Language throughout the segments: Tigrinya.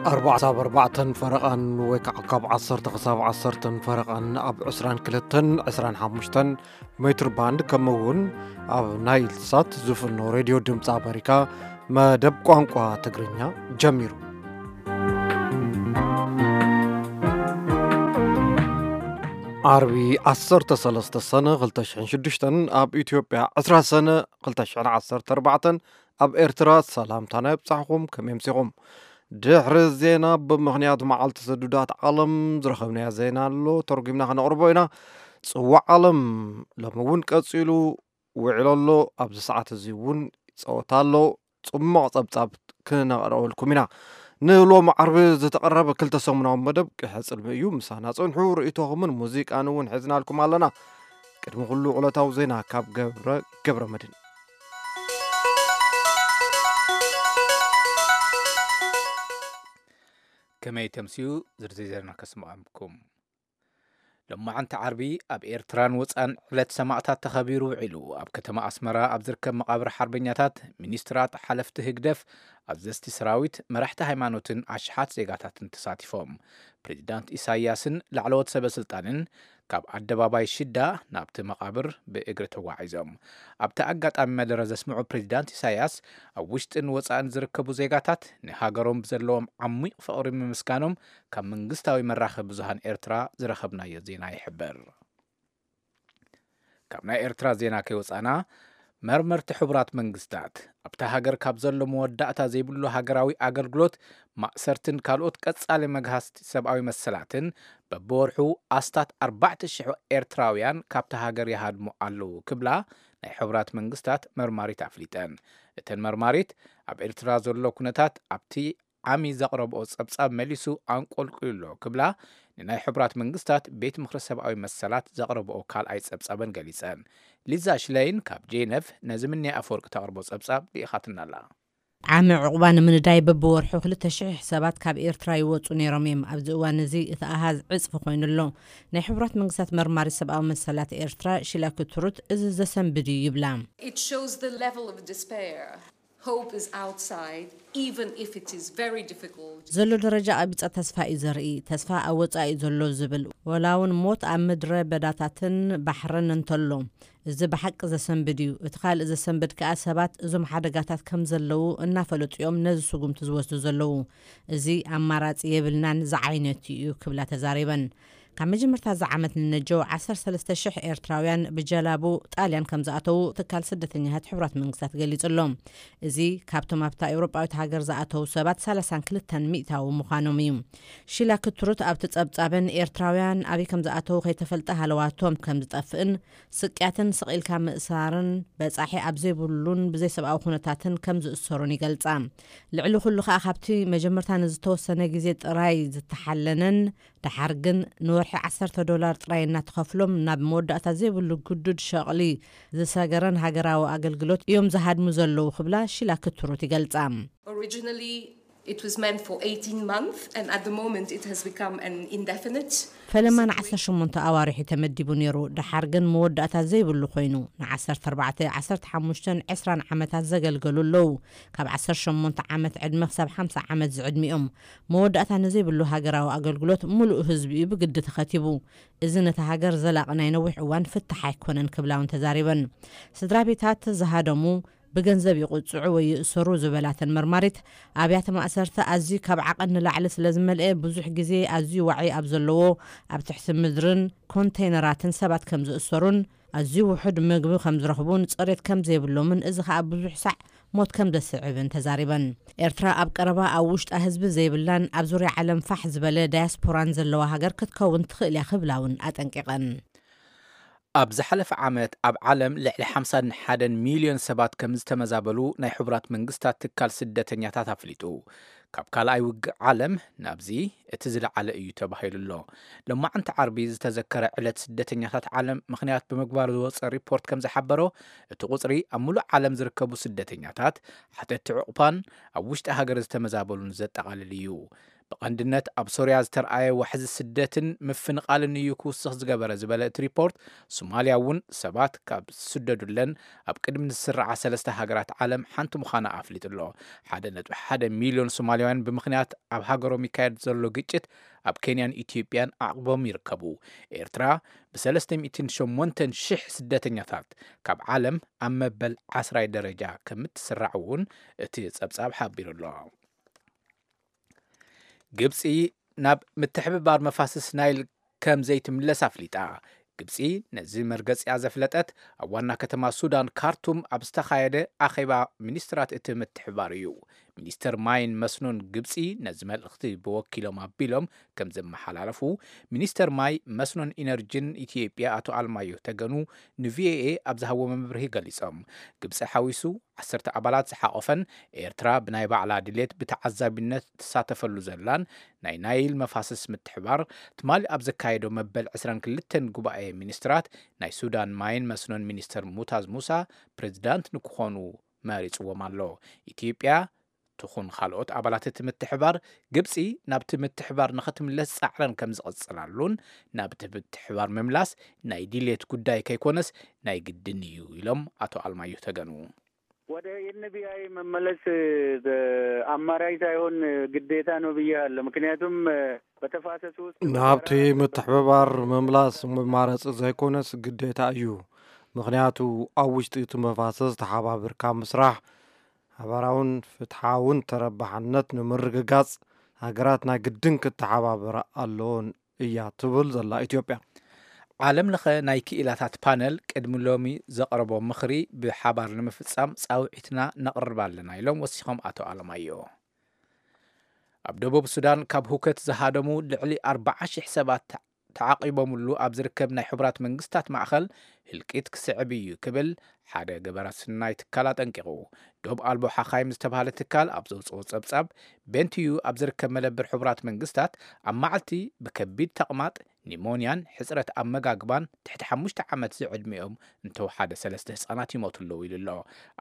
ኣርባዕተ ኣብ ኣርባዕተን ፈረቓን ወይ ከዓ ካብ ዓሰርተ ክሳብ ዓሰርተን ፈረቓን ኣብ ዕስራን ክልተን ዕስራን ሓሙሽተን ሜትር ባንድ፣ ከምኡ እውን ኣብ ናይል ሳት ዝፍኖ ሬድዮ ድምፂ ኣሜሪካ መደብ ቋንቋ ትግርኛ ጀሚሩ። ዓርቢ ዓሰርተ ሰለስተ ሰነ ክልተ ሽሕን ሽዱሽተን፣ ኣብ ኢትዮጵያ ዕስራ ሰነ ክልተ ሽሕን ዓሰርተ ኣርባዕተን፣ ኣብ ኤርትራ ሰላምታና ይብጻሕኩም። ከመይ ኣምሲኹም? ድሕሪ ዜና፣ ብምኽንያት መዓልቲ ስዱዳት ዓለም ዝረኸብናዮ ዜና ኣሎ፣ ተርጒምና ከነቕርቦ ኢና። ጽዋዕ ዓለም ሎሚ እውን ቀጺሉ ውዒሉ ኣሎ። ኣብዚ ሰዓት እዚ እውን ጸወታ ኣሎ። ጽሙቕ ጸብጻብ ክነቕርበልኩም ኢና። ንሎሚ ዓርቢ ዝተቐረበ ክልተ ሰሙናዊ መደብ ቅሐ ጽልሚ እዩ። ምሳና ጽንሑ። ርእይቶኹምን ሙዚቃን እውን ሒዝናልኩም ኣለና። ቅድሚ ኩሉ ዕለታዊ ዜና ካብ ገብረ፣ ገብረ መድህን። ከመይ ተምስዩ? ዝርዝር ዜና ከስምዓኩም። ሎማዓንቲ ዓርቢ ኣብ ኤርትራን ወጻን ዕለት ሰማእታት ተኸቢሩ ውዒሉ። ኣብ ከተማ ኣስመራ ኣብ ዝርከብ መቓብር ሓርበኛታት፣ ሚኒስትራት፣ ሓለፍቲ ህግደፍ፣ ኣዘዝቲ ሰራዊት፣ መራሕቲ ሃይማኖትን ኣሽሓት ዜጋታትን ተሳቲፎም። ፕሬዚዳንት ኢሳያስን ላዕለዎት ሰበ ስልጣንን ካብ ኣደባባይ ሽዳ ናብቲ መቓብር ብእግሪ ተጓዒዞም። ኣብቲ ኣጋጣሚ መደረ ዘስምዑ ፕሬዚዳንት ኢሳያስ፣ ኣብ ውሽጥን ወጻእን ዝርከቡ ዜጋታት ንሃገሮም ብዘለዎም ዓሚቕ ፍቕሪ ምምስጋኖም ካብ መንግስታዊ መራኸቢ ብዙሃን ኤርትራ ዝረኸብናዮ ዜና ይሕብር። ካብ ናይ ኤርትራ ዜና ከይወጻና፣ መርመርቲ ሕቡራት መንግስታት ኣብታ ሃገር ካብ ዘሎ መወዳእታ ዘይብሉ ሃገራዊ ኣገልግሎት፣ ማእሰርትን ካልኦት ቀጻሊ መግሃስቲ ሰብኣዊ መሰላትን በብወርሑ ኣስታት ኣርባዕተ ሽሕ ኤርትራውያን ካብታ ሃገር ይሃድሙ ኣለዉ ክብላ ናይ ሕቡራት መንግስታት መርማሪት ኣፍሊጠን። እተን መርማሪት፣ ኣብ ኤርትራ ዘሎ ኩነታት ኣብቲ ዓሚ ዘቕረብኦ ጸብጻብ መሊሱ ኣንቆልቂሉ ኣሎ ክብላ ንናይ ሕቡራት መንግስታት ቤት ምኽሪ ሰብኣዊ መሰላት ዘቕረብኦ ካልኣይ ጸብጻበን ገሊጸን። ሊዛ ሽለይን ካብ ጄነቭ ነዚ ምንያ ኣፈወርቂ ተቕርቦ ጸብጻብ ልኢኻትና ኣላ። ዓሚ ዕቑባ ንምንዳይ በብወርሑ ክልተ ሽሕ ሰባት ካብ ኤርትራ ይወጹ ነይሮም እዮም። ኣብዚ እዋን እዚ እቲ ኣሃዝ ዕጽፊ ኮይኑ ኣሎ። ናይ ሕቡራት መንግስታት መርማሪ ሰብኣዊ መሰላት ኤርትራ ሺላ ክትሩት እዚ ዘሰንብድ እዩ ይብላ። It shows the level of despair. Hope is outside, even if it is very difficult. ዘሎ ደረጃ ቀቢጸ ተስፋ እዩ ዘርኢ። ተስፋ ኣብ ወጻኢ እዩ ዘሎ ዝብል። ወላ እውን ሞት ኣብ ምድረ በዳታትን ባሕርን እንተሎ፣ እዚ ብሓቂ ዘሰንብድ እዩ። እቲ ካልእ ዘሰንብድ ከኣ ሰባት እዞም ሓደጋታት ከም ዘለዉ እናፈለጡ እዮም ነዚ ስጉምቲ ዝወስዱ ዘለዉ። እዚ ኣማራጺ የብልናን ዝዓይነቱ እዩ ክብላ ተዛሪበን። ካብ መጀመርታ እዚ ዓመት ንነጀው ዓሰርተ ሰለስተ ሽሕ ኤርትራውያን ብጀላቡ ጣልያን ከም ዝኣተዉ ትካል ስደተኛታት ሕቡራት መንግስታት ገሊጹ ኣሎ። እዚ ካብቶም ኣብታ ኤውሮጳዊት ሃገር ዝኣተዉ ሰባት ሰላሳን ክልተን ሚእታዊ ምዃኖም እዩ። ሺላ ክትሩት ኣብቲ ጸብጻበን ኤርትራውያን ኣበይ ከም ዝኣተዉ ከይተፈልጠ ሃለዋቶም ከም ዝጠፍእን ስቅያትን ስቕ ኢልካ ምእሳርን በጻሒ ኣብ ዘይብሉን ብዘይሰብኣዊ ኩነታትን ከም ዝእሰሩን ይገልጻ። ልዕሊ ኩሉ ከኣ ካብቲ መጀመርታ ንዝተወሰነ ግዜ ጥራይ ዝተሓለነን ደሓር ግን ንወርሒ ዓሰርተ ዶላር ጥራይ እናተኸፍሎም ናብ መወዳእታ ዘይብሉ ግዱድ ሸቕሊ ዝሰገረን ሃገራዊ ኣገልግሎት እዮም ዝሃድሙ ዘለዉ ክብላ ሺላ ክትሩት ይገልጻ። Originally, it was meant for eighteen months, and at the moment it has become an indefinite ፈለማ ንዓሰርተ ሸሞንተ ኣዋርሕ እዩ ተመዲቡ ነይሩ። ደሓር ግን መወዳእታ ዘይብሉ ኮይኑ፣ ንዓሰርተ ኣርባዕተ፣ ዓሰርተ ሓሙሽተን ዕስራን ዓመታት ዘገልገሉ ኣለዉ። ካብ ዓሰርተ ሸሞንተ ዓመት ዕድመ ክሳብ ሓምሳ ዓመት ዝዕድሚኦም። መወዳእታ ንዘይብሉ ሃገራዊ ኣገልግሎት ምሉእ ህዝቢ እዩ ብግዲ ተኸቲቡ። እዚ ነታ ሃገር ዘላቒ ናይ ነዊሕ እዋን ፍታሕ ኣይኮነን ክብላ እውን ተዛሪበን። ስድራ ቤታት ዝሃደሙ ብገንዘብ ይቕጽዑ ወይ ይእሰሩ ዝበላተን መርማሪት፣ ኣብያተ ማእሰርቲ ኣዝዩ ካብ ዓቐን ንላዕሊ ስለ ዝመልአ፣ ብዙሕ ግዜ ኣዝዩ ዋዒ ኣብ ዘለዎ ኣብ ትሕቲ ምድርን ኮንተይነራትን ሰባት ከም ዝእሰሩን ኣዝዩ ውሑድ ምግቢ ከም ዝረኽቡን ጽሬት ከም ዘይብሎምን፣ እዚ ኸኣ ብዙሕ ሳዕ ሞት ከም ዘስዕብን ተዛሪበን። ኤርትራ ኣብ ቀረባ ኣብ ውሽጣ ህዝቢ ዘይብላን ኣብ ዙርያ ዓለም ፋሕ ዝበለ ዳያስፖራን ዘለዋ ሃገር ክትከውን ትኽእል እያ ክብላ እውን ኣጠንቂቐን። ኣብ ዝሓለፈ ዓመት ኣብ ዓለም ልዕሊ ሓምሳን ሓደን ሚልዮን ሰባት ከም ዝተመዛበሉ ናይ ሕቡራት መንግስታት ትካል ስደተኛታት ኣፍሊጡ። ካብ ካልኣይ ውግእ ዓለም ናብዚ እቲ ዝለዓለ እዩ ተባሂሉ ኣሎ። ሎማዕንቲ ዓርቢ ዝተዘከረ ዕለት ስደተኛታት ዓለም ምኽንያት ብምግባር ዝወጸ ሪፖርት ከም ዝሓበሮ፣ እቲ ቁጽሪ ኣብ ሙሉእ ዓለም ዝርከቡ ስደተኛታት፣ ሓተቲ ዕቑባን ኣብ ውሽጢ ሃገር ዝተመዛበሉን ዘጠቓልል እዩ። ብቐንድነት ኣብ ሶርያ ዝተርኣየ ዋሕዚ ስደትን ምፍንቓልን እዩ ክውስኽ ዝገበረ ዝበለ እቲ ሪፖርት፣ ሶማልያ እውን ሰባት ካብ ዝስደዱለን ኣብ ቅድሚ ዝስርዓ ሰለስተ ሃገራት ዓለም ሓንቲ ምዃና ኣፍሊጡ ኣሎ። ሓደ ነጥቢ ሓደ ሚልዮን ሶማልያውያን ብምኽንያት ኣብ ሃገሮም ይካየድ ዘሎ ግጭት ኣብ ኬንያን ኢትዮጵያን ኣዕቕቦም ይርከቡ። ኤርትራ ብ ሰለስተ ሚእትን ሸሞንተን ሽሕ ስደተኛታት ካብ ዓለም ኣብ መበል ዓስራይ ደረጃ ከምትስራዕ እውን እቲ ጸብጻብ ሓቢሩ ኣሎ። ግብጺ ናብ ምትሕብባር መፋስስ ናይል ከም ዘይትምለስ ኣፍሊጣ። ግብጺ ነዚ መርገጺኣ ዘፍለጠት ኣብ ዋና ከተማ ሱዳን ካርቱም ኣብ ዝተኻየደ ኣኼባ ሚኒስትራት እቲ ምትሕብባር እዩ። ሚኒስተር ማይን መስኖን ግብጺ ነዚ መልእኽቲ ብወኪሎም ኣቢሎም ከም ዘመሓላለፉ፣ ሚኒስተር ማይ፣ መስኖን ኢነርጂን ኢትዮጵያ ኣቶ ኣልማዮ ተገኑ ንቪኦኤ ኣብ ዝሃብዎ መብርሂ ገሊጾም። ግብጺ ሓዊሱ ዓሰርተ ኣባላት ዝሓቖፈን ኤርትራ ብናይ ባዕላ ድሌት ብተዓዛቢነት ትሳተፈሉ ዘላን ናይ ናይል መፋስስ ምትሕባር ትማሊ ኣብ ዘካየዶ መበል ዕስራን ክልተን ጉባኤ ሚኒስትራት ናይ ሱዳን ማይን መስኖን ሚኒስተር ሙታዝ ሙሳ ፕሬዚዳንት ንክኾኑ መሪጽዎም ኣሎ። ኢትዮጵያ ትኹን ካልኦት ኣባላት እቲ ምትሕባር፣ ግብጺ ናብቲ ምትሕባር ንኽትምለስ ጻዕረን ከም ዝቕጽላሉን ናብቲ ምትሕባር ምምላስ ናይ ድሌት ጉዳይ ከይኮነስ ናይ ግድን እዩ ኢሎም ኣቶ ኣልማዮ ተገኑ። ወደ ኤንቢአይ መመለስ አማራጭ ሳይሆን ግዴታ ነው ብያለሁ። ምክንያቱም በተፋሰሱ ውስጥ ናብቲ ምትሕብባር ምምላስ መማረፂ ዘይኮነስ ግዴታ እዩ። ምክንያቱ ኣብ ውሽጢ እቲ መፋሰስ ተሓባቢርካ ምስራሕ ሓባራውን ፍትሓውን ተረባሕነት ንምርግጋፅ ሃገራት ናይ ግድን ክተሓባበራ ኣለዎን እያ ትብል ዘላ ኢትዮጵያ። ዓለም ለኸ ናይ ክኢላታት ፓነል ቅድሚ ሎሚ ዘቕረቦ ምኽሪ ብሓባር ንምፍጻም ጻውዒትና ነቕርብ ኣለና ኢሎም ወሲኾም ኣቶ ኣለማዮ። ኣብ ደቡብ ሱዳን ካብ ሁከት ዝሃደሙ ልዕሊ ኣርባዓ ሺሕ ሰባት ተዓቒቦምሉ ኣብ ዝርከብ ናይ ሕቡራት መንግስታት ማእኸል ህልቂት ክስዕብ እዩ ክብል ሓደ ገበረ ስናይ ትካል ኣጠንቂቑ። ዶብ ኣልቦ ሓኻይም ዝተባህለ ትካል ኣብ ዘውፅኦ ፀብፃብ ቤንቲዩ ኣብ ዝርከብ መደብር ሕቡራት መንግስታት ኣብ መዓልቲ ብከቢድ ተቕማጥ ኒሞንያን ሕፅረት ኣመጋግባን ትሕቲ ሓሙሽተ ዓመት ዝዕድሚኦም እንተወሓደ ሰለስተ ህፃናት ይሞቱ ኣለዉ ኢሉ ኣሎ።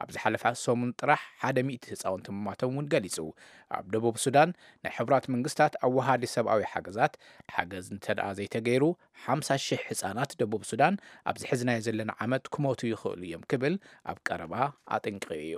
ኣብ ዝሓለፈ ሰሙን ጥራሕ ሓደ ሚእቲ ህፃውንቲ ምማቶም እውን ገሊፁ። ኣብ ደቡብ ሱዳን ናይ ሕቡራት መንግስታት ኣወሃዲ ሰብኣዊ ሓገዛት ሓገዝ እንተደኣ ዘይተገይሩ ሓምሳ ሽሕ ህፃናት ደቡብ ሱዳን ኣብዚ ሕዝናዮ ዘለና ዓመት ክሞቱ ይኽእሉ እዮም ክብል ኣብ ቀረባ ኣጠንቂቑ እዩ።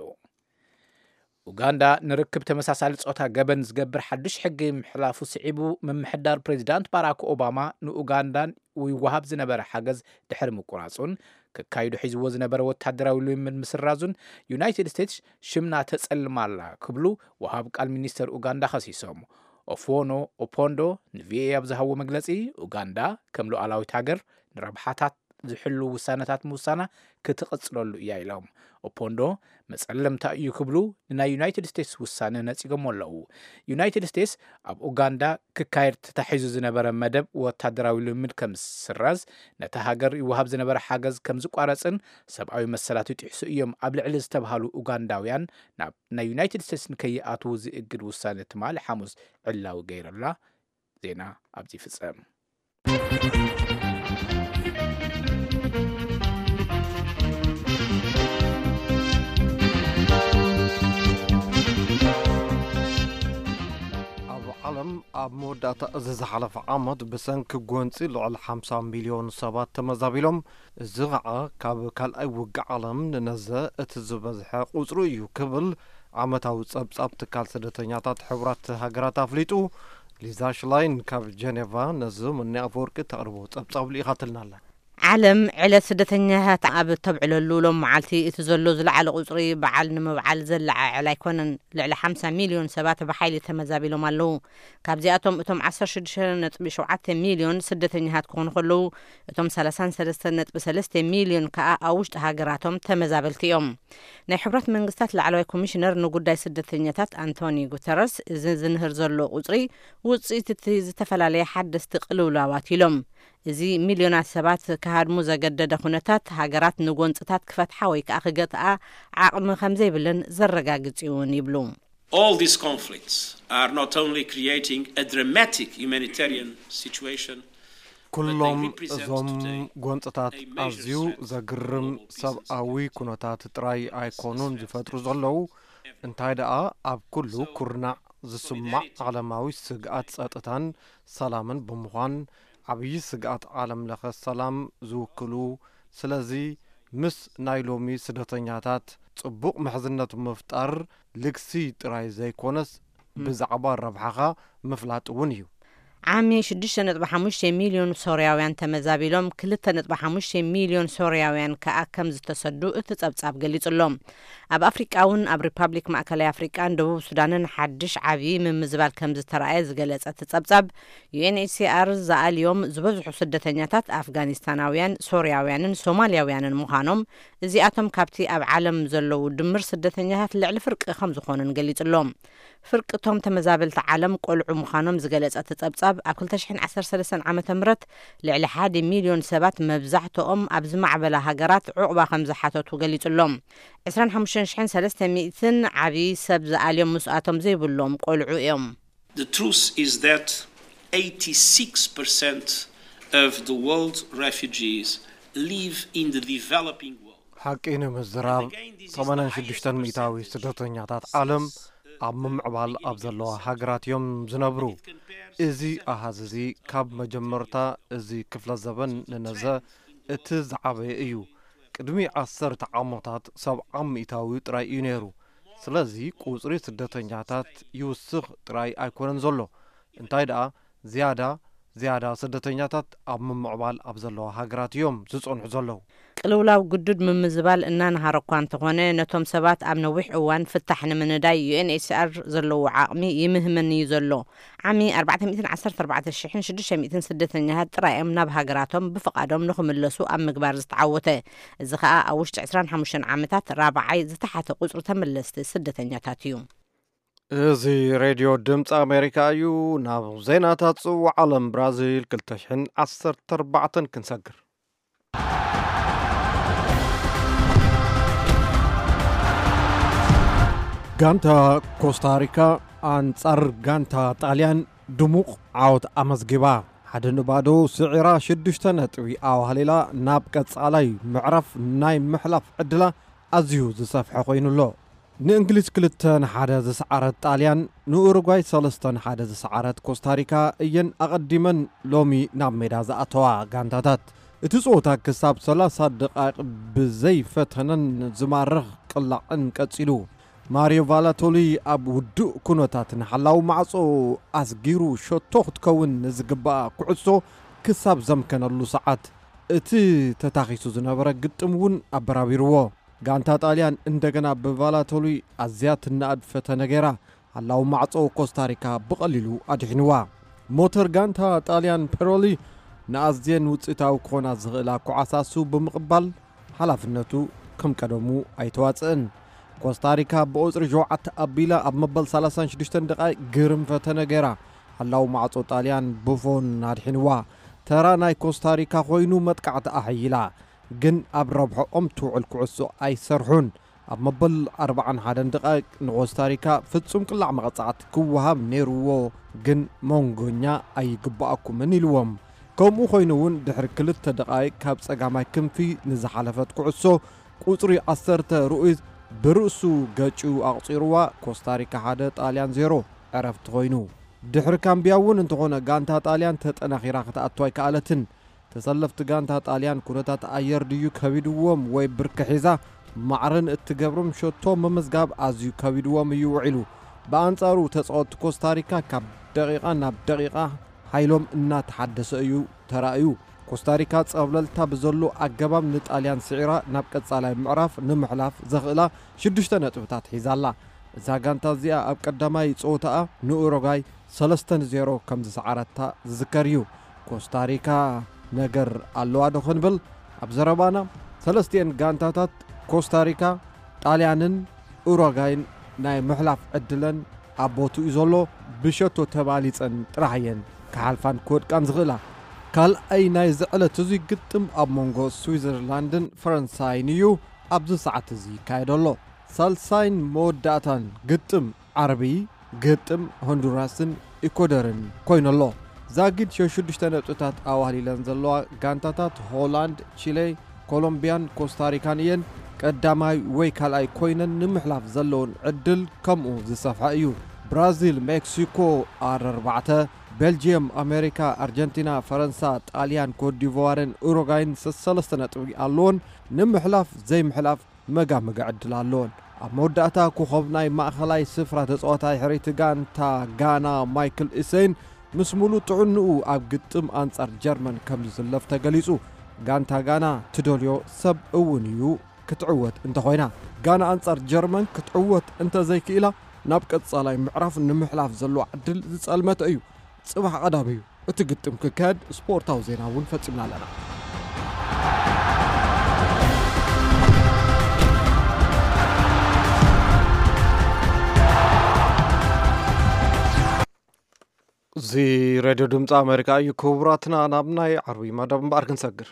ኡጋንዳ ንርክብ ተመሳሳሊ ጾታ ገበን ዝገብር ሓዱሽ ሕጊ ምሕላፉ ስዒቡ ምምሕዳር ፕሬዚዳንት ባራክ ኦባማ ንኡጋንዳን ይወሃብ ዝነበረ ሓገዝ ድሕሪ ምቁራጹን ክካይዱ ሒዝዎ ዝነበረ ወታደራዊ ልምምድ ምስራዙን ዩናይትድ ስቴትስ ሽምና ተጸልማ ኣላ ክብሉ ወሃብ ቃል ሚኒስተር ኡጋንዳ ከሲሶም። ኦፍዎኖ ኦፖንዶ ንቪኦኤ ኣብ ዝሃብዎ መግለጺ ኡጋንዳ ከም ሉዓላዊት ሃገር ንረብሓታት ዝሕሉ ውሳነታት ምውሳና ክትቕጽለሉ እያ ኢሎም። ኦፖንዶ መጸለምታ እዩ ክብሉ ንናይ ዩናይትድ ስቴትስ ውሳነ ነጺጎሞ ኣለዉ። ዩናይትድ ስቴትስ ኣብ ኡጋንዳ ክካየድ ተታሒዙ ዝነበረ መደብ ወታደራዊ ልምምድ ከም ዝስረዝ፣ ነታ ሃገር ይወሃብ ዝነበረ ሓገዝ ከም ዝቋረጽን ሰብኣዊ መሰላት ይጥሕሱ እዮም ኣብ ልዕሊ ዝተባሃሉ ኡጋንዳውያን ናብ ናይ ዩናይትድ ስቴትስ ንከይኣትዉ ዝእግድ ውሳነ ትማሊ ሓሙስ ዕላዊ ገይሩላ። ዜና ኣብዚ ይፍጸም። ኣብ ዓለም ኣብ መወዳእታ እዚ ዝሓለፈ ዓመት ብሰንኪ ጎንፂ ልዕሊ ሓምሳ ሚልዮን ሰባት ተመዛቢሎም፣ እዚ ከዓ ካብ ካልኣይ ውግእ ዓለም ንነዘ እቲ ዝበዝሐ ቁፅሪ እዩ ክብል ዓመታዊ ፀብፃብ ትካል ስደተኛታት ሕቡራት ሃገራት ኣፍሊጡ። ሊዛ ሽላይን ካብ ጀኔቫ ነዚ ምኒ ኣፈወርቂ ተቕርቦ ፀብፃብ ልኢኻትልና ኣላ። ዓለም ዕለት ስደተኛታት ኣብ እተብዕለሉ ሎም መዓልቲ እቲ ዘሎ ዝለዓለ ቁፅሪ በዓል ንምብዓል ዘለዓዕል ኣይኮነን። ልዕሊ ሓምሳ ሚልዮን ሰባት ብሓይሊ ተመዛቢሎም ኣለዉ። ካብዚኣቶም እቶም ዓሰርተ ሽዱሽተ ነጥቢ ሸውዓተ ሚልዮን ስደተኛታት ክኾኑ ከለዉ፣ እቶም ሰላሳን ሰለስተን ነጥቢ ሰለስተ ሚልዮን ከኣ ኣብ ውሽጢ ሃገራቶም ተመዛበልቲ እዮም። ናይ ሕቡራት መንግስታት ላዕለዋይ ኮሚሽነር ንጉዳይ ስደተኛታት ኣንቶኒ ጉተረስ፣ እዚ ዝንህር ዘሎ ቁፅሪ ውፅኢት እቲ ዝተፈላለየ ሓደስቲ ቅልውላዋት ኢሎም። እዚ ሚልዮናት ሰባት ክሃድሙ ዘገደደ ኩነታት፣ ሃገራት ንጎንፅታት ክፈትሓ ወይ ከዓ ክገትኣ ዓቕሚ ከም ዘይብለን ዘረጋግፅ እውን ይብሉ። All these conflicts are not only creating a dramatic humanitarian situation, ኩሎም እዞም ጎንፅታት ኣዝዩ ዘግርም ሰብኣዊ ኩነታት ጥራይ ኣይኮኑን ዝፈጥሩ ዘለዉ፣ እንታይ ደኣ ኣብ ኩሉ ኩርናዕ ዝስማዕ ዓለማዊ ስግኣት ጸጥታን ሰላምን ብምዃን፣ ዓብዪ ስግኣት ዓለም ለኸ ሰላም ዝውክሉ፣ ስለዚ ምስ ናይ ሎሚ ስደተኛታት ጽቡቕ ምሕዝነት ምፍጣር ልግሲ ጥራይ ዘይኮነስ፣ ብዛዕባ ረብሓኻ ምፍላጥ እውን እዩ። ዓሚ ሽዱሽተ ነጥቢ ሓሙሽተ ሚልዮን ሶርያውያን ተመዛቢሎም፣ ክልተ ነጥቢ ሓሙሽተ ሚልዮን ሶርያውያን ከኣ ከም ዝተሰዱ እቲ ጸብጻብ ገሊጹ ኣሎ። ኣብ ኣፍሪቃ እውን፣ ኣብ ሪፓብሊክ ማእከላይ ኣፍሪቃን ደቡብ ሱዳንን ሓድሽ ዓቢ ምምዝባል ከም ዝተረኣየ ዝገለጸ እቲ ጸብጻብ፣ ዩ ኤን ኤች ሲ ኣር ዝኣልዮም ዝበዝሑ ስደተኛታት ኣፍጋኒስታናውያን፣ ሶርያውያንን ሶማልያውያንን ምዃኖም፣ እዚኣቶም ካብቲ ኣብ ዓለም ዘለዉ ድምር ስደተኛታት ልዕሊ ፍርቂ ከም ዝኾኑን ገሊጹ ኣሎ። ፍርቂ እቶም ተመዛበልቲ ዓለም ቆልዑ ምዃኖም ዝገለጸ እቲ ጸብጻብ፣ ኣብ ክልተ ሽሕን ዓሰርተ ሰለስተን ዓመተ ምህረት ልዕሊ ሓደ ሚልዮን ሰባት፣ መብዛሕትኦም ኣብ ዝማዕበላ ሃገራት፣ ዑቕባ ከም ዝሓተቱ ገሊጹ ኣሎ። ዕስራን ሓሙሽተን ሽሕን ሰለስተ ሚእትን ዓቢ ሰብ ዝኣልዮም ምስኣቶም ዘይብሎም ቆልዑ እዮም። The truth is that eighty-six percent of the world refugees live in the developing world. ሓቂ ንምዝራብ፣ ሰማንያን ሽዱሽተን ሚእታዊ ስደተኛታት ዓለም ኣብ ምምዕባል ኣብ ዘለዋ ሃገራት እዮም ዝነብሩ። እዚ ኣሃዝ እዚ ካብ መጀመርታ እዚ ክፍለ ዘበን ንነዘ እቲ ዝዓበየ እዩ። ቅድሚ ዓሰርተ ዓመታት ሰብዓ ሚእታዊ ጥራይ እዩ ነይሩ። ስለዚ ቁጽሪ ስደተኛታት ይውስኽ ጥራይ ኣይኮነን ዘሎ። እንታይ ደኣ፣ ዝያዳ ዝያዳ ስደተኛታት ኣብ ምምዕባል ኣብ ዘለዋ ሃገራት እዮም ዝጸንሑ ዘለዉ። ቅልውላው ግዱድ ምምዝባል እናነሃረ እኳ እንተኾነ፣ ነቶም ሰባት ኣብ ነዊሕ እዋን ፍታሕ ንምንዳይ ዩ ኤን ኤች ሲ ኣር ዘለዎ ዓቕሚ ይምህመን እዩ ዘሎ። ዓሚ ኣርባዕተ ሚእትን ዓሰርተ ኣርባዕተ ሽሕን ሽዱሽተ ሚእትን ስደተኛታት ጥራይ እዮም ናብ ሃገራቶም ብፍቓዶም ንኽምለሱ ኣብ ምግባር ዝተዓወተ። እዚ ኸኣ ኣብ ውሽጢ ዕስራን ሓሙሽተን ዓመታት ራብዓይ ዝተሓተ ቁጽሪ ተመለስቲ ስደተኛታት እዩ። እዚ ሬድዮ ድምፂ ኣሜሪካ እዩ። ናብ ዜናታት ጽዋዕ ዓለም ብራዚል ክልተ ሽሕን ዓሰርተ ኣርባዕተን ክንሰግር። ጋንታ ኮስታሪካ ኣንጻር ጋንታ ጣልያን ድሙቕ ዓወት ኣመዝጊባ። ሓደ ንባዶ ስዒራ ሽዱሽተ ነጥቢ ኣዋህሊላ ናብ ቀጻላይ ምዕራፍ ናይ ምሕላፍ ዕድላ ኣዝዩ ዝሰፍሐ ኮይኑ ኣሎ። ንእንግሊዝ ክልተ ንሓደ ዝሰዓረት ጣልያን፣ ንኡሩጓይ ሰለስተ ንሓደ ዝሰዓረት ኮስታሪካ እየን ኣቐዲመን ሎሚ ናብ ሜዳ ዝኣተዋ ጋንታታት። እቲ ጸወታ ክሳብ ሰላሳ ደቓይቕ ብዘይ ፈተነን ዝማርኽ ቅላዕን ቀጺሉ። ማሪዮ ቫላቶሊ ኣብ ውዱእ ኩነታት ንሓላው ማዕጾ ኣስጊሩ ሸቶ ክትከውን ንዝግባኣ ኩዕሶ ክሳብ ዘምከነሉ ሰዓት፣ እቲ ተታኺሱ ዝነበረ ግጥም እውን ኣበራቢርዎ። ጋንታ ጣልያን እንደገና ብቫላቶሊ ኣዝያ ትነኣድ ፈተነ ገይራ፣ ሓላው ማዕጾ ኮስታሪካ ብቐሊሉ ኣድሒንዋ። ሞተር ጋንታ ጣልያን ፔሮሊ ንኣዝየን ውጽኢታዊ ክኾና ዝኽእላ ኳዕሳሱ ብምቕባል፣ ሓላፍነቱ ከም ቀደሙ ኣይተዋጽእን። ኮስታሪካ ብቁጽሪ ሸውዓተ ኣቢላ ኣብ መበል ሰላሳን ሽዱሽተን ደቓይቕ ግርም ፈተነ ገይራ፣ ሓላው ማዕጾ ጣልያን ቡፎን ኣድሒንዋ። ተራ ናይ ኮስታሪካ ኮይኑ መጥቃዕቲ ኣሐይላ፣ ግን ኣብ ረብሖኦም ትውዕል ኩዕሶ ኣይሰርሑን። ኣብ መበል ኣርባዓን ሓደን ደቓይቕ ንኮስታሪካ ፍጹም ቅላዕ መቐጻዕቲ ክወሃብ ነይርዎ፣ ግን መንጎኛ ኣይግባኣኩምን ኢልዎም። ከምኡ ኮይኑ እውን ድሕሪ ክልተ ደቓይቕ ካብ ጸጋማይ ክንፊ ንዝሓለፈት ኩዕሶ ቁጽሪ ዓሰርተ ሩኢዝ ብርእሱ ገጭ ኣቑጺርዋ። ኮስታሪካ ሓደ ጣልያን ዜሮ ዕረፍቲ ኮይኑ። ድሕሪ ካምቢያ እውን እንተኾነ ጋንታ ጣልያን ተጠናኺራ ክትኣቱ ኣይከኣለትን። ተሰለፍቲ ጋንታ ጣልያን ኩነታት ኣየር ድዩ ከቢድዎም ወይ ብርኪ ሒዛ ማዕረን እትገብሮም ሸቶ ምምዝጋብ ኣዝዩ ከቢድዎም እዩ ውዒሉ። ብኣንጻሩ ተጻወትቲ ኮስታሪካ ካብ ደቂቓ ናብ ደቂቓ ሓይሎም እናተሓደሰ እዩ ተራእዩ። ኮስታሪካ ጸብለልታ ብዘሎ ኣገባብ ንጣልያን ስዒራ ናብ ቀጻላይ ምዕራፍ ንምሕላፍ ዘኽእላ ሽዱሽተ ነጥብታት ሒዛ ኣላ። እዛ ጋንታ እዚኣ ኣብ ቀዳማይ ጸወታኣ ንኡሩጓይ ሰለስተ ንዜሮ ከም ዝሰዓረታ ዝዝከር እዩ። ኮስታሪካ ነገር ኣለዋ ዶ ክንብል ኣብ ዘረባና፣ ሰለስቲኤን ጋንታታት ኮስታሪካ፣ ጣልያንን ኡሩጓይን ናይ ምሕላፍ ዕድለን ኣብ ቦትኡ እዩ ዘሎ። ብሸቶ ተባሊጸን ጥራሕ እየን ክሓልፋን ክወድቃን ዝኽእላ። ካልኣይ ናይዚ ዕለት እዙይ ግጥም ኣብ መንጎ ስዊዘርላንድን ፈረንሳይን እዩ ኣብዚ ሰዓት እዚ ይካየድ ኣሎ። ሳልሳይን መወዳእታን ግጥም ዓርቢ ግጥም ሆንዱራስን ኢኮደርን ኮይኑ ኣሎ። ዛጊድ ሸሽዱሽተ ነጥብታት ኣዋህሊለን ዘለዋ ጋንታታት ሆላንድ፣ ቺሌ፣ ኮሎምቢያን ኮስታሪካን እየን። ቀዳማይ ወይ ካልኣይ ኮይነን ንምሕላፍ ዘለውን ዕድል ከምኡ ዝሰፍሐ እዩ። ብራዚል፣ ሜክሲኮ፣ ኣር ኣርባዕተ፣ ቤልጅየም፣ ኣሜሪካ፣ ኣርጀንቲና፣ ፈረንሳ፣ ጣልያን፣ ኮትዲቯርን ኡሩጋይን ሰሰለስተ ነጥቢ ኣለዎን። ንምሕላፍ ዘይምሕላፍ መጋመጋ ዕድል ኣለዎን። ኣብ መወዳእታ ኮኸብ ናይ ማእኸላይ ስፍራ ተጻዋታይ ሕርይቲ ጋንታ ጋና ማይክል ኢሰይን ምስ ሙሉእ ጥዕንኡ ኣብ ግጥም ኣንጻር ጀርመን ከም ዝስለፍ ተገሊጹ። ጋንታ ጋና ትደልዮ ሰብ እውን እዩ ክትዕወት እንተኾይና። ጋና ኣንጻር ጀርመን ክትዕወት እንተዘይክኢላ ናብ ቀጻላይ ምዕራፍ ንምሕላፍ ዘለዋ ዕድል ዝጸልመተ እዩ። ጽባሕ ቀዳም እዩ እቲ ግጥም ክካየድ። ስፖርታዊ ዜና እውን ፈጺምና ኣለና። እዚ ሬድዮ ድምፂ ኣሜሪካ እዩ። ክቡራትና፣ ናብ ናይ ዓርቢ መደብ እምበኣር ክንሰግር።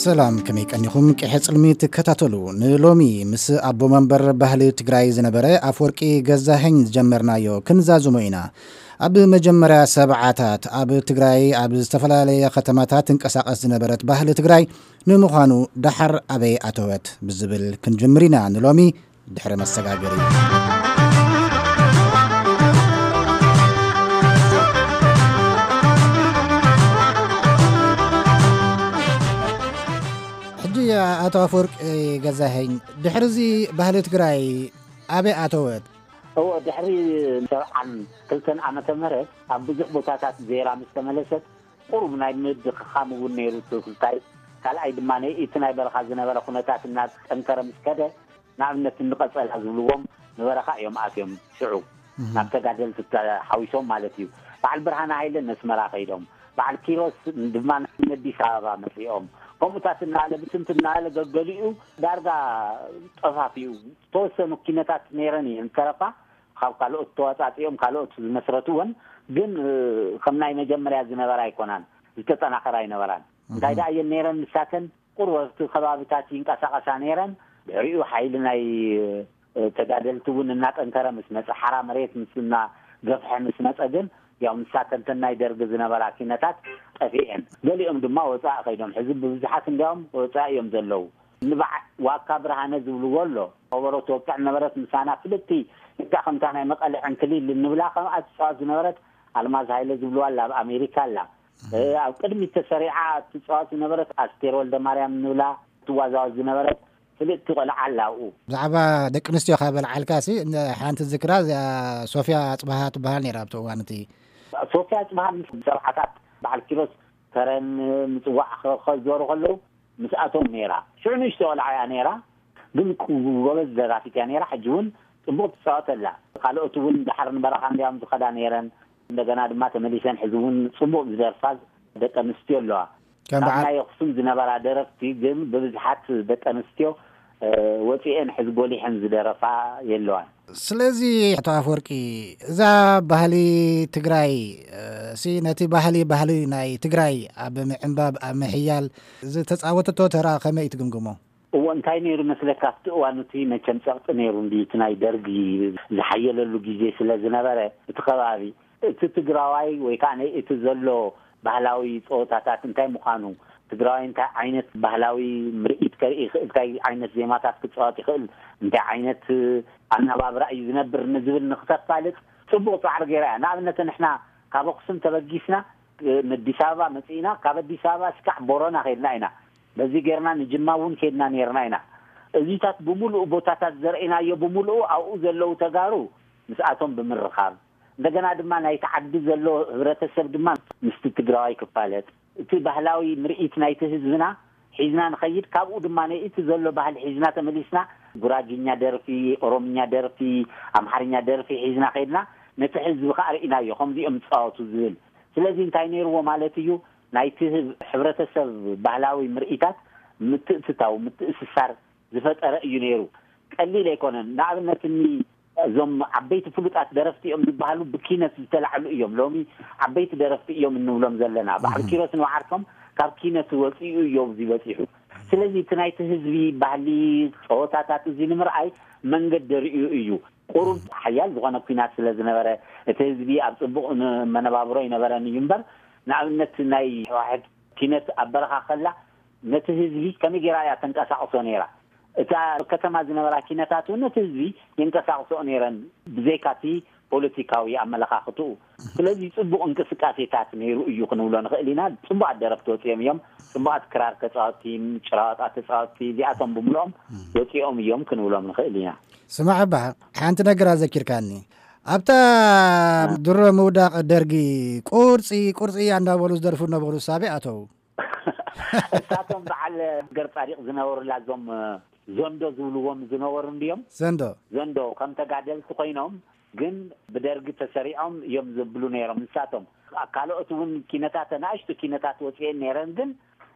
ሰላም፣ ከመይ ቀኒኹም? ቅሐ ጽልሚ ትከታተሉ። ንሎሚ ምስ ኣቦ መንበር ባህሊ ትግራይ ዝነበረ ኣፈወርቂ ገዛኸኝ ዝጀመርናዮ ክንዛዝሞ ኢና። ኣብ መጀመርያ ሰብዓታት ኣብ ትግራይ ኣብ ዝተፈላለየ ከተማታት ትንቀሳቐስ ዝነበረት ባህሊ ትግራይ ንምዃኑ ደሓር ኣበይ ኣተወት ብዝብል ክንጅምር ኢና ንሎሚ ድሕሪ መሰጋገሪ። ሕጂ ኣቶ ኣፈወርቂ ገዛኸኝ፣ ድሕሪ እዚ ባህሊ ትግራይ ኣበይ ኣተወት? እዎ፣ ድሕሪ ሰብዓን ክልተን ዓመተ ምህረት ኣብ ብዙሕ ቦታታት ዜራ ምስ ተመለሰት፣ ቁሩብ ናይ ምድኽኻም እውን ነይሩ እቲ ክልታይ። ካልኣይ ድማ እቲ ናይ በረኻ ዝነበረ ኩነታት እናጠንከረ ምስ ከደ፣ ንኣብነት እንቐጸላ ዝብልዎም ንበረኻ እዮም ኣትዮም። ሽዑ እህ። ናብ ተጋደልቲ ተሓዊሶም ማለት እዩ። በዓል ብርሃነ ሃይለ ነስመራ ከይዶም፣ በዓል ኪሮስ ድማ ንኣዲስ ኣበባ መጺኦም። ከምኡታት እናበለ ብትንትን እናበለ ገገሊኡ ዳርጋ ጠፋፊኡ። ዝተወሰኑ ኪነታት ነይረን እየን ዝተረፋ፣ ካብ ካልኦት ተዋጻጺኦም ካልኦት ዝመስረትወን፣ ግን እ፣ ከም ናይ መጀመርያ ዝነበራ ኣይኮናን፣ ዝተጠናኸራ ኣይነበራን። እንታይ እህ። ደኣ እየን ነይረን ንሳተን? ቁሩብ ኣብቲ ከባቢታት ይንቀሳቐሳ ነይረን። ድሕሪኡ ሓይሊ ናይ እ፣ ተጋደልቲ እውን እናጠንከረ ምስ መጸ፣ ሓራ መሬት ምስ እናገፍሐ ምስ መጸ ግን፣ ያው ንሳተን ተን ናይ ደርጊ ዝነበራ ኪነታት ጠፊኤን። ገሊኦም ድማ ወጻኢ ከይዶም፣ ሕዚ ብብዙሓት እንዲያውም ወጻኢ እዮም ዘለዉ። ንበዓል ዋካ ብርሃነ ዝብልዎ ኣሎ። ከበሮ ትወቅዕ ነበረት፣ ምሳና ፍልጥቲ፣ ልክዕ ከምታ ናይ መቐለ ዕንክሊል እንብላ፣ ከምኣ ትጻወት ዝነበረት ኣልማዝ ሃይለ ዝብልዋ ኣላ፣ ኣብ ኣሜሪካ ኣላ። እ፣ ኣብ ቅድሚት ተሰሪዓ ትጻወት ዝነበረት ኣስቴር ወልደ ማርያም እንብላ ትዋዛወዝ ዝነበረት ፍልጥቲ ቆልዓ ኣላ ኣብኡ። ብዛዕባ ደቂ ኣንስትዮ ካብ በልዓልካ ሲ፣ እንደ ሓንቲ ዝክራ እዚኣ ሶፍያ ጽባሃ ትበሃል ነይራ ኣብቲ እዋን እቲ። ሶፍያ ጽባሃ ምስ ሰብዓታት በዓል ኪሮስ ከረን ምጽዋዕ ከ-፣ ከዘሩ ከለዉ ምስኣቶም ነይራ። ሽዑ ንእሽቶ ቆልዓ እያ ነይራ፣ ግን ቁ-፣ ጎበዝ ደራፊት እያ ነይራ። ሕጂ እውን ጽቡቕ ትጻወት ኣላ። ካልኦት እውን ደሓር ንበረኻ እንዲያውም ዝኸዳ ነይረን። እንደገና ድማ ተመሊሰን ሕዚ እውን ጽቡቕ ዝደርፋ ደቂ ኣንስትዮ ኣለዋ። ከም ካብ በዓል ናይ ኣኽሱም ዝነበራ ደረፍቲ ግን ብብዝሓት ደቂ ኣንስትዮ፣ እ፣ ወጺኤን ሕዚ ጎሊሐን ዝደረፋ የለዋን። ስለዚ ኣቶ ኣፈወርቂ፣ እዛ ባህሊ ትግራይ፣ እ፣ ሲ ነቲ ባህሊ፣ ባህሊ ናይ ትግራይ ኣብ ምዕንባብ፣ ኣብ ምሕያል ዝተጻወተቶ ተራ ከመይ ትግምግሞ? እዎ፣ እንታይ ነይሩ መስለካ፣ ኣብቲ እዋን እቲ መቸም ጸቕጢ ነይሩ እንዲ፣ እቲ ናይ ደርጊ ዝሓየለሉ ግዜ ስለ ዝነበረ፣ እቲ ከባቢ፣ እቲ ትግራዋይ ወይ ከዓ ናይ እቲ ዘሎ ባህላዊ ጸወታታት እንታይ ምዃኑ፣ ትግራዋይ እንታይ ዓይነት ባህላዊ ምርኢት ከርኢ ይኽእል፣ እንታይ ዓይነት ዜማታት ክጻወት ይኽእል፣ እንታይ ዓይነት ኣናባብራ እዩ ዝነብር ንዝብል ንክተፋልጥ ጽቡቕ ጻዕሪ ገይራ እያ። ንኣብነት ንሕና ካብ ኣኽሱም ተበጊስና፣ እ፣ ንኣዲስ ኣበባ መጺእና፣ ካብ ኣዲስ ኣበባ እስካዕ ቦረና ከይድና ኢና። በዚ ጌርና ንጅማ እውን ከይድና ኔርና ኢና። እዚታት ብምሉኡ ቦታታት ዘርእናዮ ብምሉኡ ኣብኡ ዘለዉ ተጋሩ ምስኣቶም ብምርኻብ፣ እንደገና ድማ ናይቲ ዓዲ ዘሎ ህብረተሰብ ድማ ምስቲ ትግራዋይ ክፋለጥ፣ እቲ ባህላዊ ምርኢት ናይቲ ህዝብና ሒዝና ንኸይድ፣ ካብኡ ድማ እቲ ዘሎ ባህሊ ሒዝና ተመሊስና ጉራጊኛ ደርፊ፣ ኦሮምኛ ደርፊ፣ ኣምሓርኛ ደርፊ ሒዝና ከይድና ነቲ ህዝቢ ከኣ ርኢናዮ ከምዚኦም ዝጻወቱ ዝብል። ስለዚ እንታይ ነይርዎ ማለት እዩ፣ ናይቲ ህብ-፣ ሕብረተሰብ ባህላዊ ምርኢታት ምትእትታው፣ ምትእስሳር ዝፈጠረ እዩ ነይሩ። ቀሊል ኣይኮነን። ንኣብነት እኒ እዞም ዓበይቲ ፍሉጣት ደረፍቲ እዮም ዝበሃሉ ብኪነት ዝተላዕሉ እዮም። ሎሚ ዓበይቲ ደረፍቲ እዮም እንብሎም ዘለና። በዓል እህ። ኪሮስ ንባዕርቶም ካብ ኪነት ወፂኡ እዮም እዚ በፂሑ። ስለዚ እቲ ናይቲ ህዝቢ ባህሊ፣ ፀወታታት እዚ ንምርኣይ መንገዲ ርእዩ እዩ። ቁሩብ ሓያል ዝኾነ ኲናት ስለ ዝነበረ እቲ ህዝቢ ኣብ ፅቡቕ ን-፣ መነባብሮ ይነበረን እዩ እምበር፣ ንኣብነት ናይ ህወሓት ኪነት ኣብ በረኻ ከላ ነቲ ህዝቢ ከመይ ገይራ እያ ተንቀሳቕሶ ነይራ? እታ ከተማ ዝነበራ ኪነታት እውን ነቲ ህዝቢ የንቀሳቕሶ ነይረን፣ ብዘይካቲ ፖለቲካዊ ኣመለኻኽትኡ። ስለዚ ጽቡቕ እንቅስቃሴታት ነይሩ እዩ ክንብሎ ንኽእል ኢና። ጽቡቓት ደረፍቲ ወጺኦም እዮም። ጽቡቓት ክራር ተጻወትቲ፣ ጭራዋጣ ተጻወትቲ፣ እዚኣቶም ብምልኦም ወጺኦም እዮም ክንብሎም ንኽእል ኢና። ስማዕ እባ፣ ሓንቲ ነገር ኣዘኪርካኒ። ኣብታ ድሮ ምውዳቕ ደርጊ ቁርጺ ቁርጺ እንዳበሉ ዝደርፉ ነበሩ፣ ሳቢ ኣተው። እሳቶም በዓል ገር ጻዲቕ ዝነበሩላ እዞም ዘንዶ ዝብልዎም ዝነበሩ እንድዮም። ዘንዶ። ዘንዶ ከም ተጋደልቲ ኮይኖም ግን ብደርጊ ተሰሪዖም እዮም ዝብሉ ነይሮም። ንሳቶም ካልኦት እውን ኪነታት፣ ናእሽቱ ኪነታት ወፅኤን ነይረን፣ ግን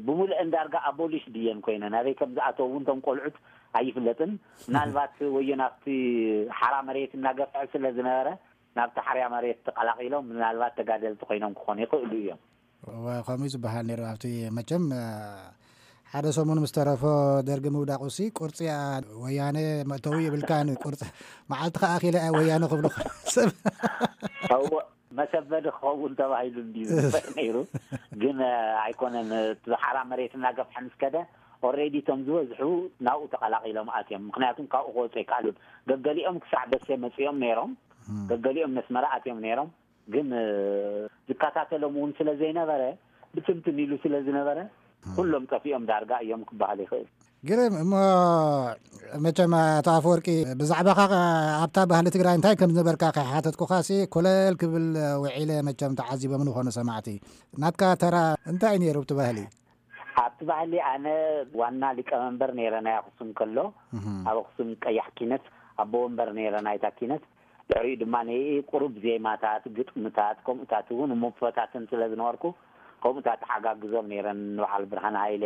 ብምሉእን ዳርጋ ኣቦሊሽ ድየን ኮይነን ኣበይ ከም ዝኣተው እውን እቶም ቆልዑት ኣይፍለጥን። ምናልባት ወዮ ናብቲ ሓራ መሬት እናገፍዐ ስለ ዝነበረ ናብቲ ሓርያ መሬት ተቐላቒሎም ምናልባት ተጋደልቲ ኮይኖም ክኾኑ ይኽእሉ እዮም። እወ፣ ከምኡ እዩ ዝበሃል ነይሩ። ኣብቲ መቸም፣ እ፣ ሓደ ሰሙን ምስ ተረፎ ደርጊ ምውዳቑሲ ቁርፂ፣ ኣ፣ ወያነ መእተዊ ይብልካን ቁርፂ መዓልቲ ከኣ ኣኺለ ወያነ ክብሉ ሰብ። እወ፣ መሰበዲ ክኸውን ተባሂሉ እንድዩ ዝፍለጥ ነይሩ። ግን፣ እ፣ ኣይኮነን። እቲ ሓራ መሬት እናገፍሐ ምስ ከደ ኦልሬዲ እቶም ዝበዝሑ ናብኡ ተቐላቒሎም ኣትዮም። ምኽንያቱም ካብኡ ክወፁ ኣይከኣሉን። ገገሊኦም ክሳዕ ደሴ መፂኦም ነይሮም፣ እም። ገገሊኦም ነስመራ ኣትዮም ነይሮም። ግን፣ እ፣ ዝከታተሎም እውን ስለ ዘይነበረ፣ ብትንትን ኢሉ ስለ ዝነበረ፣ እም። ኩሎም ጠፊኦም ዳርጋ እዮም ክበሃል ይኽእል። ግርም እሞ፣ መቸም ኣቶ ኣፈወርቂ፣ ብዛዕባኻ ኣብታ ባህሊ ትግራይ እንታይ ከም ዝነበርካ ከይሓተትኩኻሲ ኮለል ክብል ውዒለ፣ መቸም ተዓዚቦም ዝኾኑ ሰማዕቲ። ናትካ ተራ እንታይ ነይሩ ኣብቲ ባህሊ? ኣብቲ ባህሊ ኣነ ዋና ሊቀመንበር ነይረ ናይ ኣኽሱም ከሎ፣ እህ። ኣብ ኣኽሱም ቀያሕ ኪነት ኣቦ ወንበር ነይረ ናይታ ኪነት። ድሕሪኡ ድማ ነይ ቁሩብ ዜማታት፣ ግጥምታት፣ ከምኡታት እውን እሞ ፈታትን ስለ ዝነበርኩ፣ ከምኡታት ተሓጋግዞም ነይረን። ንበዓል ብርሃን ሃይለ፣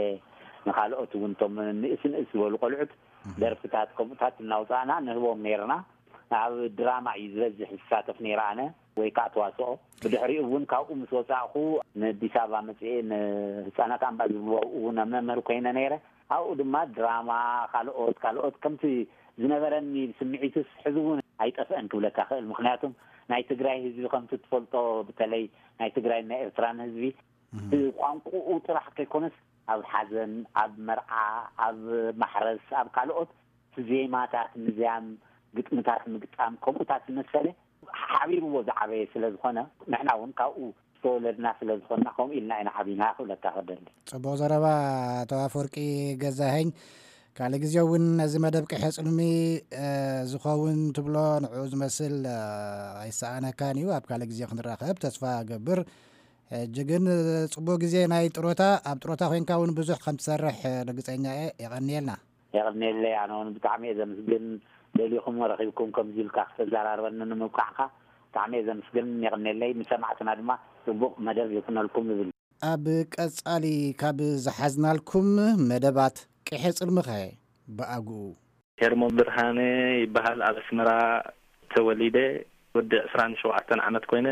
ንኻልኦት እውን እቶም ንእስ ንእስ ዝበሉ ቆልዑት እህ። ደርፍታት ከምኡታት እናውፃእና ንህቦም ነይርና። ኣብ ድራማ እዩ ዝበዝሕ ዝሳተፍ ነይረ ኣነ፣ ወይ ከዓ ተዋስኦ። ብድሕሪኡ እውን ካብኡ ምስ ወፃእኹ ንኣዲስ ኣበባ መፅኤ ንህፃናት ኣምባ ዝብልዎ እውን መምህር ኮይነ ነይረ። ኣብኡ ድማ ድራማ፣ ካልኦት፣ ካልኦት ከምቲ ዝነበረኒ ስምዒትስ ሕዚ እውን ኣይጠፍአን ክብለካ ክእል። ምኽንያቱም ናይ ትግራይ ህዝቢ ከምቲ ትፈልጦ፣ በተለይ ናይ ትግራይን ናይ ኤርትራን ህዝቢ እህ። ብቋንቁኡ ጥራሕ ከይኮነስ ኣብ ሓዘን፣ ኣብ መርዓ፣ ኣብ ማሕረስ፣ ኣብ ካልኦት ዜማታት ምዝያም፣ ግጥምታት ምግጣም፣ ከምኡታት ዝመሰለ ሓቢርዎ ዝዓበየ ስለ ዝኾነ፣ ንሕና እውን ካብኡ ዝተወለድና ስለ ዝኾንና፣ ከምኡ ኢልና ኢና ዓቢና ክብለካ ክደሊ። ጽቡቕ ዘረባ፣ ኣቶ ኣፈወርቂ ገዛኸኝ። ካልእ ግዜ እውን ነዚ መደብ ቅሐ ጽልሚ፣ እ፣ ዝኸውን ትብሎ ንዕኡ ዝመስል፣ እ፣ ኣይሰኣነካን እዩ። ኣብ ካልእ ግዜ ክንራኸብ ተስፋ እገብር። ሕጂ ግን፣ እ፣ ጽቡቕ ግዜ ናይ ጥሮታ፣ ኣብ ጥሮታ ኮይንካ እውን ብዙሕ ከም ትሰርሕ፣ እ፣ ርግጸኛ እየ። የቐንየልና። የቐንየለይ። ኣነ እውን ብጣዕሚ እየ ዘመስግን። ደሊኹም ረኺብኩም ከምዚ ኢልካ ክተዘራርበኒ ንምብቃዕካ ብጣዕሚ እየ ዘመስግን። የቐንየለይ። ንሰማዕትና ድማ ጽቡቕ መደብ ይኹነልኩም እብል። ኣብ ቀጻሊ ካብ ዝሓዝናልኩም መደባት ቅሐ ጽልምኸ ብኣግኡ። ሄርሞን ብርሃነ ይበሃል። ኣብ ኣስመራ ተወሊደ ወዲ ዕስራን ሸውዓተን ዓመት ኮይነ፣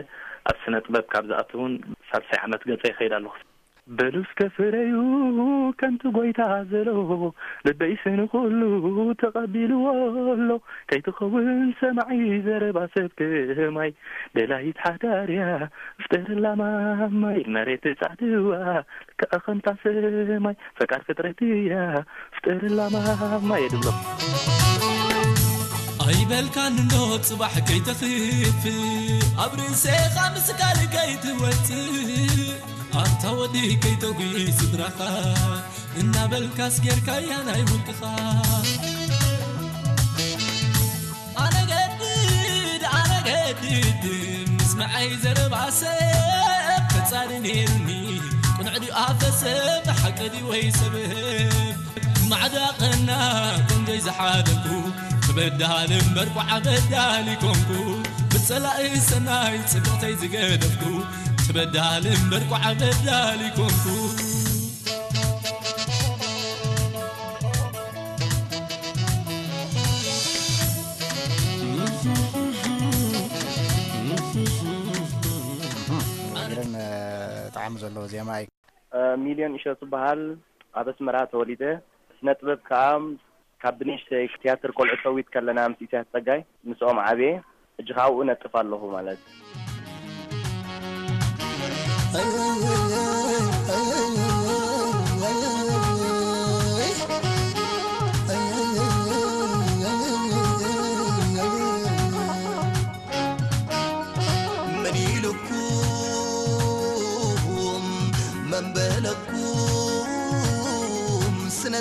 ኣብ ስነ ጥበብ ካብ ዝኣቱ እውን ሳልሳይ ዓመት ገጸ ይኸይድ ኣለኹ። በሉ እስከ ፍረዩ ከምቲ ጎይታ ዘሎ፣ ልበይስ ንኹሉ ተቐቢልዎ ኣሎ። ከይትኸውን ሰማዒ ዘረባ ሰብ ከማይ፣ ደላይት ሓዳርያ ፍጠርላ ማማይ፣ መሬት ጻድዋ ልክዕ ከምታ ሰማይ፣ ፈቃር ፍጥረት እያ ፍጠርላ ማማይ ድብሎ። ኣይበልካን እንዶ ጽባሕ ከይተኽፍ፣ ኣብ ርእሴኻ ምስጋል ከይትወጽእ፣ ኣንታ ወዲ ከይተጉይ ስድራኻ እናበልካስ ጌርካያ ናይ ውልቅኻ። ኣነገድድ ኣነገድድ ምስምዐይ ዘረባ ሰብ ከጻሪ ነይሩኒ፣ ቅኑዕ ድዩ ኣፈ ሰብ፣ ሓቂ ድዩ ወይ ሰብ? ማዕዳ ቀና ቆንጆይ ዝሓለኩ፣ ክበዳል እምበር ቋዕ በዳል ይኮንኩ፣ ብጸላኢ ሰናይ ጽብቕተይ ዝገደፍኩ፣ ክበዳል እምበር ቋዕ በዳል ይኮንኩ። ግርም ጣዕሚ ዘለዎ ዜማ እዩ። ሚልዮን እሸቱ በሃል። ኣብ ኣስመራ ተወሊደ። ስነ ጥበብ ከኣ ካብ ብንእሽተይ ትያትር ቆልዑ ሸዊት ከለና ምስ ኢሳያስ ጸጋይ ምስኦም ዓብየ። ሕጂ ካብኡ ነጥፍ ኣለኹ ማለት።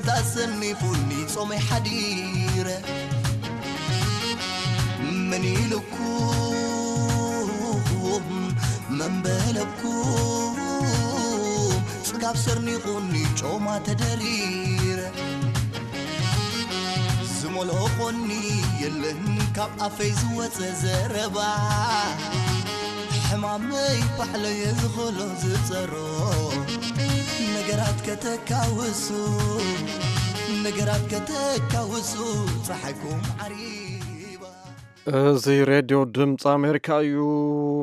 ታሰኒፉኒ ጾመይ ሓዲረ። ምን ኢልኩም መንበለብኩም? ጽጋብ ሰርኒቑኒ ጮማ ተደሪረ። ዝመልኦ ኾኒ የለን ካብ ኣፈይ ዝወጸ ዘረባ። ሕማመይ ባዕለየ ዝኽእሎ ዝጸሮ። ነገራት ከተካውሱ፣ ነገራት ከተካውሱ፣ ጸሓይኩም ዓሪባ። እዚ ሬድዮ ድምፂ ኣሜሪካ እዩ።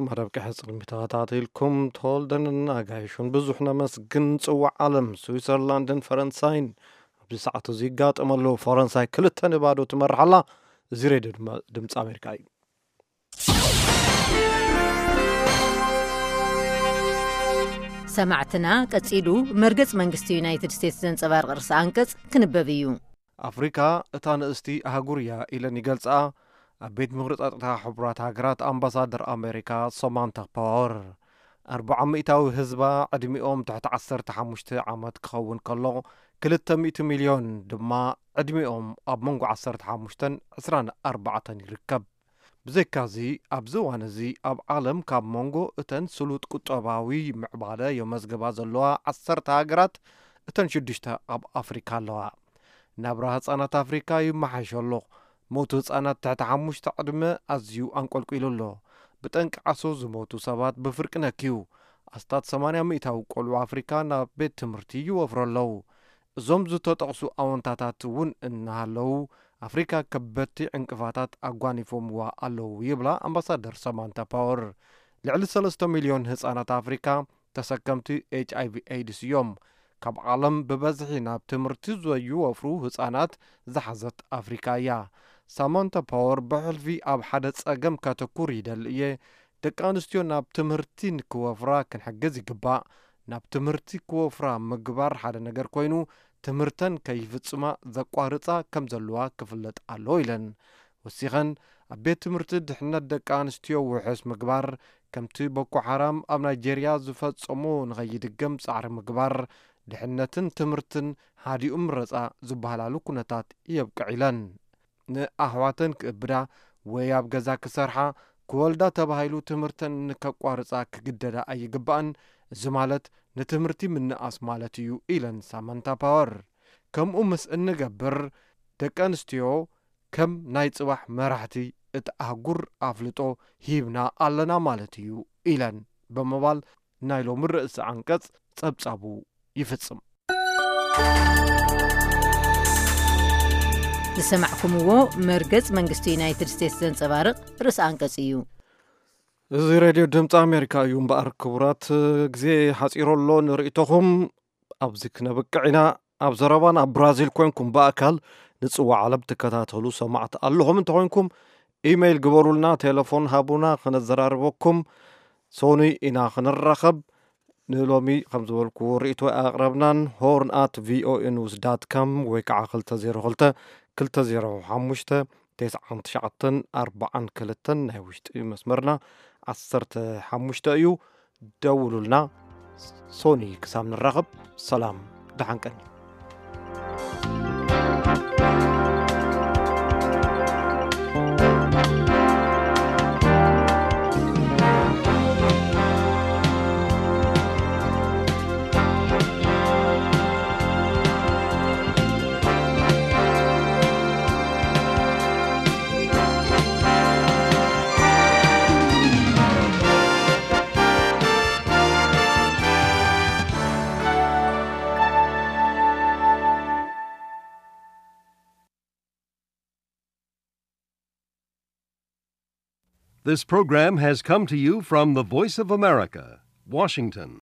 መደብ ቀሕፅልሚ ተኸታተልኩም ተወልደንን ኣጋይሹን ብዙሕ ነመስግን። ጽዋዕ ዓለም ስዊዘርላንድን ፈረንሳይን ኣብዚ ሰዓት እዚ ይጋጠመሉ። ፈረንሳይ ክልተ ንባዶ ትመርሓላ። እዚ ሬድዮ ድማ ድምፂ ኣሜሪካ እዩ። ሰማዕትና፣ ቀጺሉ መርገጽ መንግስቲ ዩናይትድ ስቴትስ ዘንጸባርቕ ርእሰ ኣንቀጽ ክንበብ እዩ። ኣፍሪካ እታ ንእስቲ ኣህጉር እያ ኢለን ይገልጻ ኣብ ቤት ምኽሪ ጸጥታ ሕቡራት ሃገራት ኣምባሳደር ኣሜሪካ ሰማንታ ፓወር። ኣርብዓ ሚእታዊ ህዝባ ዕድሚኦም ትሕቲ ዓሰርተ ሓሙሽተ ዓመት ክኸውን ከሎ፣ ክልተ ሚእቲ ሚልዮን ድማ ዕድሚኦም ኣብ መንጎ ዓሰርተ ሓሙሽተን ዕስራን ኣርባዕተን ይርከብ። ብዘይካዚ ኣብዚ እዋን እዚ ኣብ ዓለም ካብ መንጎ እተን ስሉጥ ቁጠባዊ ምዕባለ የመዝግባ ዘለዋ ዓሰርተ ሃገራት እተን ሽዱሽተ ኣብ ኣፍሪካ ኣለዋ። ናብራ ህፃናት ኣፍሪካ ይመሓሽ ኣሎ። ሞት ህፃናት ትሕቲ ሓሙሽተ ዕድመ ኣዝዩ ኣንቆልቂሉ ኣሎ። ብጠንቂ ዓሶ ዝሞቱ ሰባት ብፍርቂ ነክዩ። ኣስታት ሰማንያ ሚእታዊ ቆልዑ ኣፍሪካ ናብ ቤት ትምህርቲ ይወፍሩ ኣለዉ። እዞም ዝተጠቕሱ ኣወንታታት እውን እናሃለዉ ኣፍሪካ ከበድቲ ዕንቅፋታት ኣጓኒፎምዋ ኣለዉ ይብላ ኣምባሳደር ሰማንታ ፓወር። ልዕሊ ሰለስተ ሚልዮን ህፃናት ኣፍሪካ ተሰከምቲ ኤች ኣይቪ ኤድስ እዮም። ካብ ዓለም ብበዝሒ ናብ ትምህርቲ ዘይወፍሩ ህፃናት ዝሓዘት ኣፍሪካ እያ። ሳማንታ ፓወር ብሕልፊ ኣብ ሓደ ፀገም ከተኩር ይደሊ እየ። ደቂ ኣንስትዮ ናብ ትምህርቲ ንክወፍራ ክንሕግዝ ይግባእ። ናብ ትምህርቲ ክወፍራ ምግባር ሓደ ነገር ኮይኑ ትምህርተን ከይፍፅማ ዘቋርፃ ከም ዘለዋ ክፍለጥ ኣለዎ ኢለን። ወሲኸን ኣብ ቤት ትምህርቲ ድሕነት ደቂ ኣንስትዮ ውሕስ ምግባር፣ ከምቲ ቦኮ ሓራም ኣብ ናይጄርያ ዝፈጸሞ ንኸይድገም ጻዕሪ ምግባር፣ ድሕነትን ትምህርትን ሃዲኡ ምረጻ ዝበሃላሉ ኩነታት የብቅዕ ኢለን። ንኣሕዋተን ክእብዳ ወይ ኣብ ገዛ ክሰርሓ፣ ክወልዳ ተባሂሉ ትምህርተን ንከቋርጻ ክግደዳ ኣይግባእን። እዚ ማለት ንትምህርቲ ምንኣስ ማለት እዩ ኢለን ሳማንታ ፓወር። ከምኡ ምስ እንገብር ደቂ ኣንስትዮ ከም ናይ ጽባሕ መራሕቲ እቲ ኣህጉር ኣፍልጦ ሂብና ኣለና ማለት እዩ ኢለን ብምባል ናይ ሎሚ ርእሲ ዓንቀጽ ጸብጻቡ ይፍጽም። ዝሰማዕኩምዎ መርገጽ መንግስቲ ዩናይትድ ስቴትስ ዘንጸባርቕ ርእሲ ኣንቀጽ እዩ። እዚ ሬድዮ ድምፂ ኣሜሪካ እዩ እምበኣር ክቡራት፣ ግዜ ሓፂሮ ኣሎ ንርእይቶኹም ኣብዚ ክነብቅዕ ኢና። ኣብ ዘረባን ኣብ ብራዚል ኮንኩም ብኣካል ንፅዋዕ ዓለም ትከታተሉ ሰማዕቲ ኣለኹም እንተኾይንኩም ኢመይል ግበሩልና፣ ቴሌፎን ሃቡና፣ ክነዘራርበኩም። ሶኒ ኢና ክንራኸብ። ንሎሚ ከም ዝበልኩዎ ርእይቶ ኣቕረብናን ሆርን ኣት ቪኦኤ ኒውስ ዳት ካም ወይ ከዓ ክልተ ዜሮ ክልተ ክልተ ዜሮ ሓሙሽተ ተስዓን ትሽዓተን ኣርባዓን ክልተን ናይ ውሽጢ መስመርና ዓሰርተ ሓሙሽተ እዩ። ደውሉልና። ሶኒ ክሳብ ንራኸብ ሰላም ደሓን ቀኒ። This program has come to you from the Voice of America, Washington.